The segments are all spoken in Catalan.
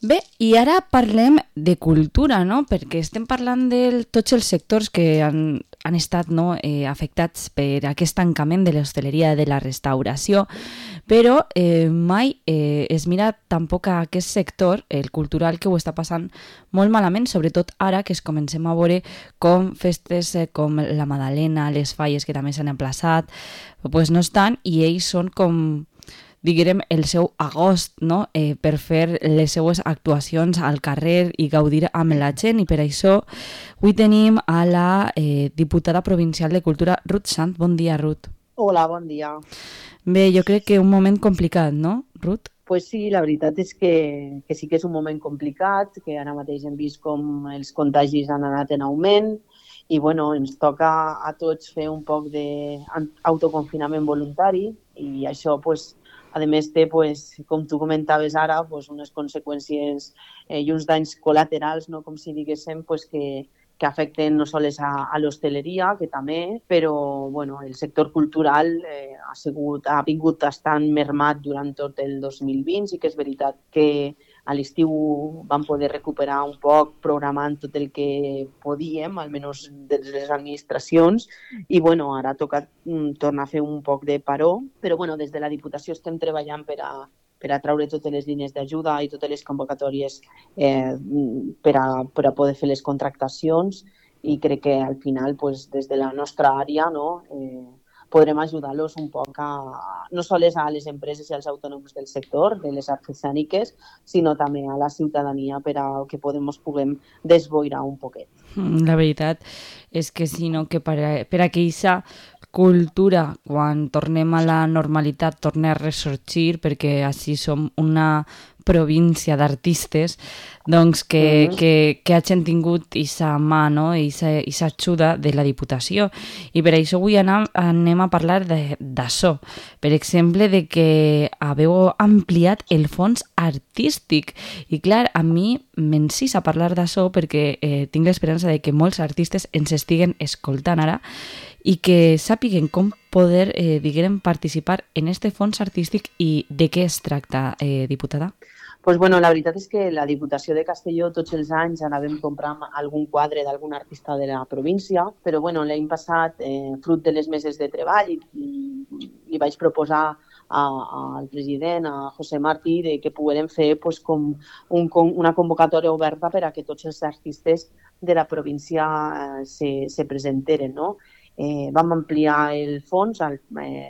Bé, i ara parlem de cultura, no? Perquè estem parlant de tots els sectors que han estat afectats per aquest tancament de l'hostaleria, de la restauració, però mai es mira tampoc a aquest sector, el cultural, que ho està passant molt malament, sobretot ara que es comencem a veure com festes com la Madalena, les falles que també s'han emplaçat, pues no estan, i ells són com, diguem, el seu agost, no? Per fer les seues actuacions al carrer i gaudir amb la gent, i per això avui tenim a la diputada provincial de Cultura, Ruth Sant. Bon dia, Ruth. Hola, bon dia. Bé, jo crec que un moment complicat, no, Ruth? Pues sí, la veritat és que sí que és un moment complicat, que ara mateix hem vist com els contagis han anat en augment i bueno, ens toca a tots fer un poc d'autoconfinament voluntari i això pues, a més té, pues, com tu comentaves ara, pues, unes conseqüències i uns danys col·laterals, no? Com si diguéssim, pues, que afecten no sols a l'hostaleria, que també, però bueno, el sector cultural ha vingut estant mermat durant tot el 2020. Sí que és veritat que a l'estiu vam poder recuperar un poc programant tot el que podíem, almenys des de les administracions, i bueno, ara toca tornar a fer un poc de paró, però bueno, des de la Diputació estem treballant per a traure totes les línies d'ajuda i totes les convocatòries per a poder fer les contractacions, i crec que al final pues, des de la nostra àrea podrem ajudar-los un poc no sols a les empreses i als autònoms del sector, de les artesàniques, sinó també a la ciutadania per a que puguem desboirar un poquet. La veritat és que sí, no? Que per a que aquesta cultura, quan tornem a la normalitat, torni a ressorgir, perquè així som una província d'artistes, doncs que hagin tingut aquesta mà, no? Aquesta ajuda de la Diputació. I per això avui anem a parlar d'això. Per exemple, de que haveu ampliat el fons artístic. I clar, a mi m'encisa parlar d'això perquè tinc l'esperança de que molts artistes ens estiguen escoltant ara i que sàpiguen com poder, diguem, participar en este fons artístic. I de què es tracta, diputada? Pues bueno, la veritat és que la Diputació de Castelló tots els anys anàvem comprant algun quadre d'algun artista de la província, però bueno, l'any passat, fruit de les meses de treball, li vaig proposar al president, a José Martí, de que poguérem fer pues, com una convocatòria oberta per a que tots els artistes de la província se presenteren, no? Vam ampliar el fons,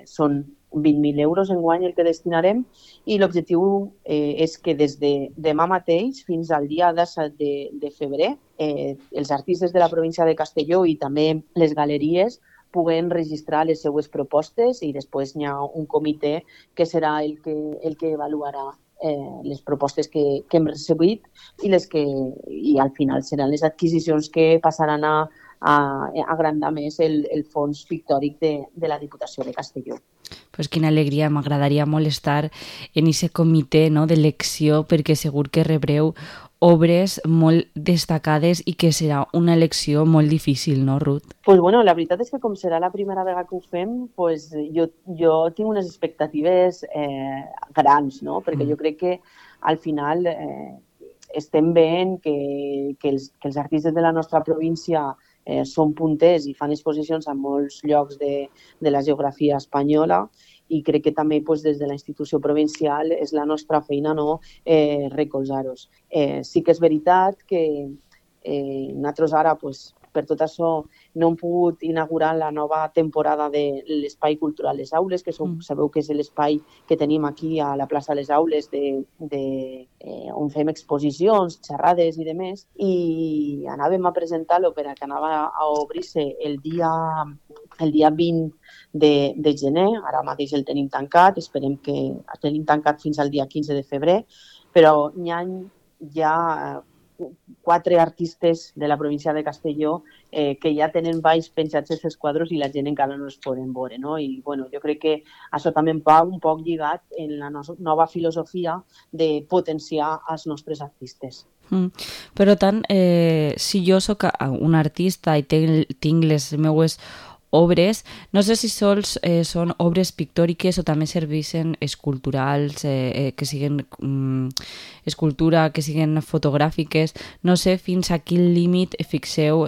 són 20.000 euros enguany el que destinarem, i l'objectiu és que des de demà mateix fins al dia 17 de febrer els artistes de la província de Castelló i també les galeries puguen registrar les seues propostes, i després hi ha un comitè que serà el que avaluarà les propostes que hem recibit i al final seran les adquisicions que passaran a agrandar més el fons pictòric de la Diputació de Castelló. Pues quina alegria, m'agradaria molt estar en aquest comitè, no, d'elecció, perquè segur que rebreu obres molt destacades i que serà una elecció molt difícil, no, Ruth? Pues bueno, la veritat és que com serà la primera vegada que ho fem, pues jo tinc unes expectatives grans, no? Perquè jo crec que al final estem veient que els artistes de la nostra província són punters i fan exposicions a molts llocs de la geografia espanyola, i crec que també pues, des de la institució provincial és la nostra feina recolzar-los. Sí que és veritat que nosaltres ara pues, per tot això no hem pogut inaugurar la nova temporada de l'Espai Cultural Les Aules, que sabeu que és l'espai que tenim aquí a la plaça Les Aules on fem exposicions, xerrades i demés, i anàvem a presentar-lo per a que anava a obrir-se el dia 20 de gener. Ara mateix el tenim tancat, esperem que el tenim tancat fins al dia 15 de febrer, però hi ha 4 artistes de la província de Castelló que ja tenen baix penjats els quadres i la gent encara no els poden veure, no? I bueno, jo crec que això també va un poc lligat en la nova filosofia de potenciar els nostres artistes. Per tant, si jo sóc un artista i tinc les meues obres. No sé si sols són obres pictòriques o també serveixen esculturals, que siguen escultura, que siguen fotogràfiques. No sé fins a quin límit fixeu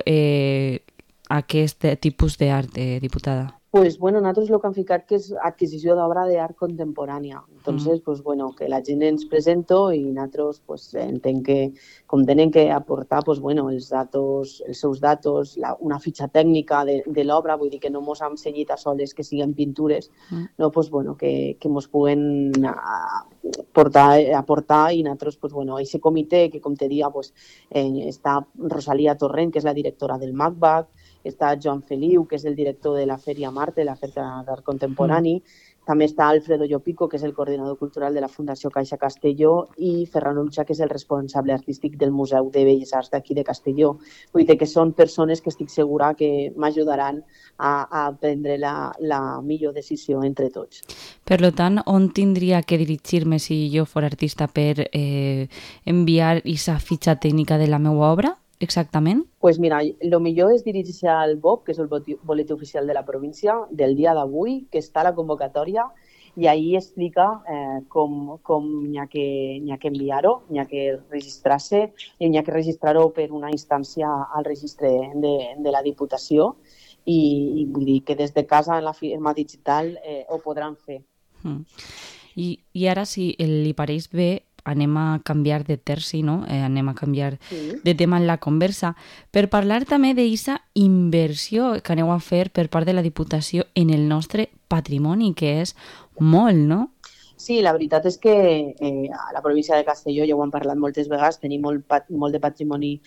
aquest tipus d'art, diputada. Pues bueno, nosaltres el que hem ficat que és adquisició d'obra d'art contemporània. Entonces, pues bueno, que la gent ens presento i nosaltres pues, entenc que com tenen que aportar pues, bueno, els seus datos, una fitxa tècnica de l'obra, vull dir que no mos hem cenyit a soles que siguin pintures, no, pues, bueno, que mos puguen aportar i nosaltres, pues, bueno, aquest comitè que, com te dia, pues, està Rosalia Torrent, que és la directora del MACBAC, està Joan Feliu, que és el director de la Fèria Marte, la Fèria d'Art Contemporani, també està Alfredo Llopico, que és el coordinador cultural de la Fundació Caixa Castelló, i Ferran Ulxa, que és el responsable artístic del Museu de Belles Arts d'aquí de Castelló. Vull dir que són persones que estic segura que m'ajudaran a prendre la millor decisió entre tots. Per tant, on tindria que dirigir-me si jo fos artista per enviar aquesta fitxa tècnica de la meva obra? Exactament? Pues mira, el millor és dirigir-se al BOP, que és el boletí oficial de la província, del dia d'avui, que està a la convocatòria, i ahí explica com n'hi ha que enviar-ho, n'hi ha que registrar-se, i n'hi ha que registrar-ho per una instància al registre de la Diputació, i vull dir que des de casa en la firma digital ho podran fer. I ara, si li pareix bé, anem a canviar de terci, no? Anem a canviar de tema en la conversa per parlar també d'aquesta inversió que aneu a fer per part de la Diputació en el nostre patrimoni, que és molt, no? Sí, la veritat és que a la província de Castelló, ja ho hem parlat moltes vegades, tenim molt de patrimoni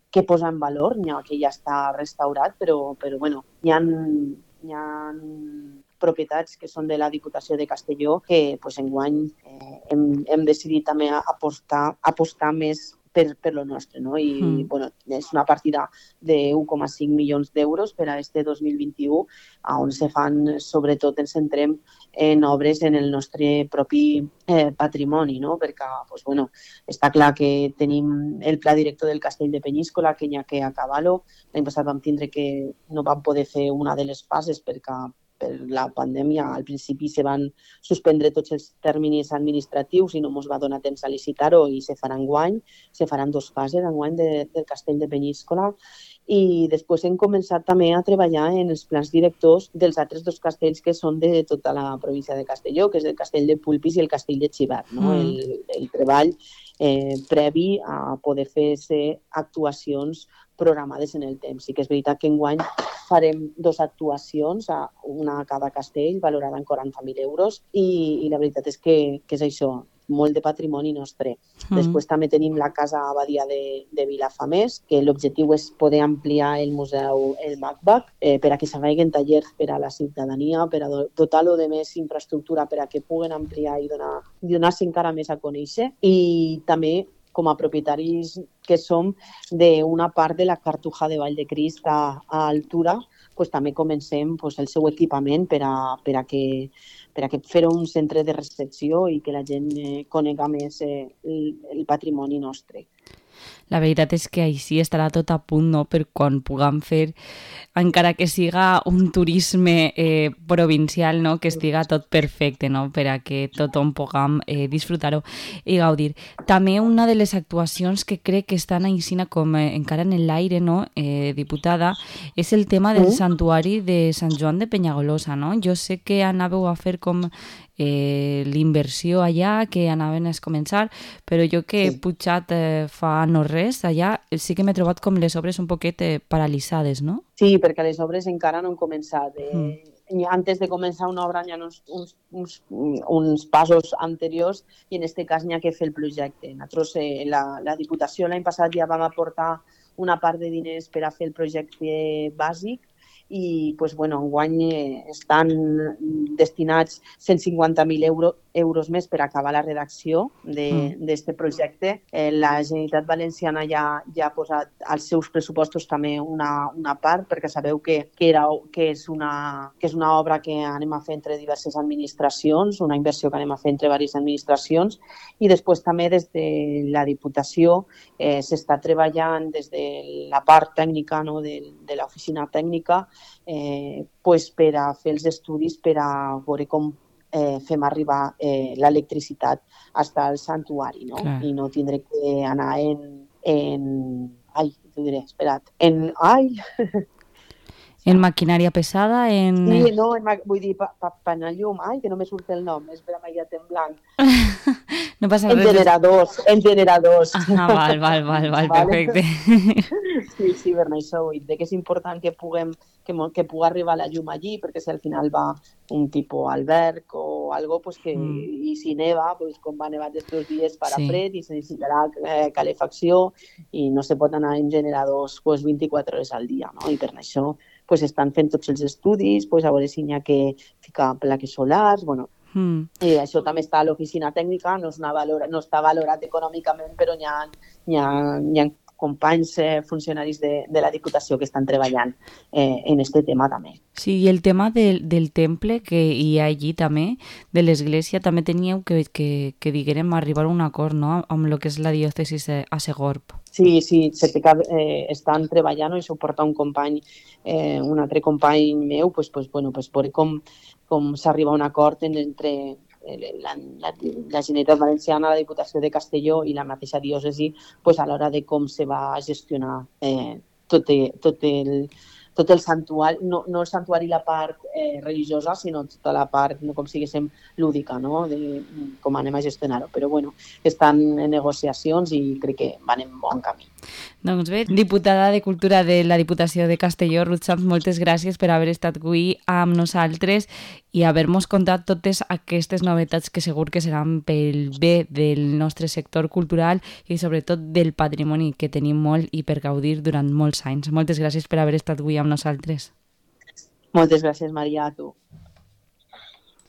que posa en valor, n'hi ha que ja està restaurat, però bueno, hi ha propietats que són de la Diputació de Castelló que pues, enguany hem decidit també apostar més per lo nostre, no? I bueno, és una partida de 1,5 milions d'euros per a este 2021, on se fan, sobretot ens centrem en obres en el nostre propi patrimoni, no? Perquè pues, bueno, està clar que tenim el pla director del Castell de Penyíscola, que n'hi ha que acabar-lo. L'any passat vam tindre que no vam poder fer una de les fases perquè per la pandèmia al principi se van suspendre tots els terminis administratius i no ens va donar temps a licitar-ho i se farà enguany, se faran 2 fases enguany del Castell de Penyíscola i després hem començat també a treballar en els plans directors dels altres 2 castells que són de tota la província de Castelló, que és el Castell de Pulpis i el Castell de Xivert, no? El treball previ a poder fer actuacions programades en el temps. Sí que és veritat que enguany farem 2 actuacions, una a cada castell, valorada en 40.000 euros, i la veritat és que és això, molt de patrimoni nostre. Després també tenim la Casa Abadia de Vilafamés, que l'objectiu és poder ampliar el museu, el MACBAC, per a que se facin tallers per a la ciutadania, per a dotar-lo de més infraestructura per a que puguen ampliar i donar-se encara més a conèixer. I també com a propietaris que som d'una part de la Cartuja de Vall de Crist a altura, pues, també comencem pues, el seu equipament per a que fer un centre de recepció i que la gent conega més el patrimoni nostre. La veritat és que així estarà tot a punt, no?, per quan puguem fer, encara que siga un turisme provincial, no?, que estiga tot perfecte, no?, per a que tothom puguem disfrutar-ho i gaudir. També una de les actuacions que crec que estan així com encara en l'aire, no?, diputada, és el tema del santuari de Sant Joan de Penyagolosa, no? Jo sé que anàveu a fer com l'inversió allà, que anaven a començar, però jo que he pujat fa no res allà, sí que m'he trobat com les obres un poquet paralitzades, no? Sí, perquè les obres encara no han començat. Antes de començar una obra hi ha uns passos anteriors i en aquest cas n'hi ha que fer el projecte. Nosaltres, la Diputació l'any passat ja vam aportar una part de diners per a fer el projecte bàsic i pues, bueno, enguany estan destinats 150.000 euros més per acabar la redacció d'aquest projecte. La Generalitat Valenciana ja ha posat als seus pressupostos també una part, perquè sabeu que és una obra que anem a fer entre diverses administracions, una inversió que anem a fer entre diverses administracions, i després també des de la Diputació s'està treballant des de la part tècnica, no, de l'oficina tècnica, per a fer els estudis per a veure com fem arribar l'electricitat fins al santuari, no? Clar. I no tindré que anar en maquinària pesada, Sí, no, vull dir, per llum, que no me surt el nom, és per m'ha en blanc. No passa res. En generadors. Val, perfecte. Sí, per això vull dir que és important que pugui arribar la llum allí, perquè si al final va un tipus alberg o algo, pues que, i si neva, pues com va nevar aquests dies farà fred i se necessitarà calefacció i no se pot anar en generadors pues, 24 hores al dia, no? I per això pues, estan fent tots els estudis, pues, a veure si n'hi ha que ficar plaques solars, bueno. I això també està a l'oficina tècnica, no està valorat econòmicament, però n'hi ha companys funcionaris de la Diputació que estan treballant en aquest tema també. Sí, i el tema del temple que hi ha allí també, de l'església, també teníeu que diguérem arribar a un acord, no?, amb el que és la diòcesis a Segorb. Sí, estan treballant, i això ho porta un company, un altre company meu, pues, veure com s'arriba a un acord entre la Generalitat Valenciana, la Diputació de Castelló i la mateixa diòcesi a l'hora de com se va gestionar tot el santuari, no el santuari la part religiosa, sinó tota la part, com si diguéssim, lúdica, no? De com anem a gestionar-ho. Però bueno, estan en negociacions i crec que van en bon camí. Doncs bé, diputada de Cultura de la Diputació de Castelló, Ruth Sanz, moltes gràcies per haver estat avui amb nosaltres i haver-nos contat totes aquestes novetats que segur que seran pel bé del nostre sector cultural i sobretot del patrimoni que tenim molt i per gaudir durant molts anys. Moltes gràcies per haver estat avui amb nosaltres. Moltes gràcies, Maria, a tu.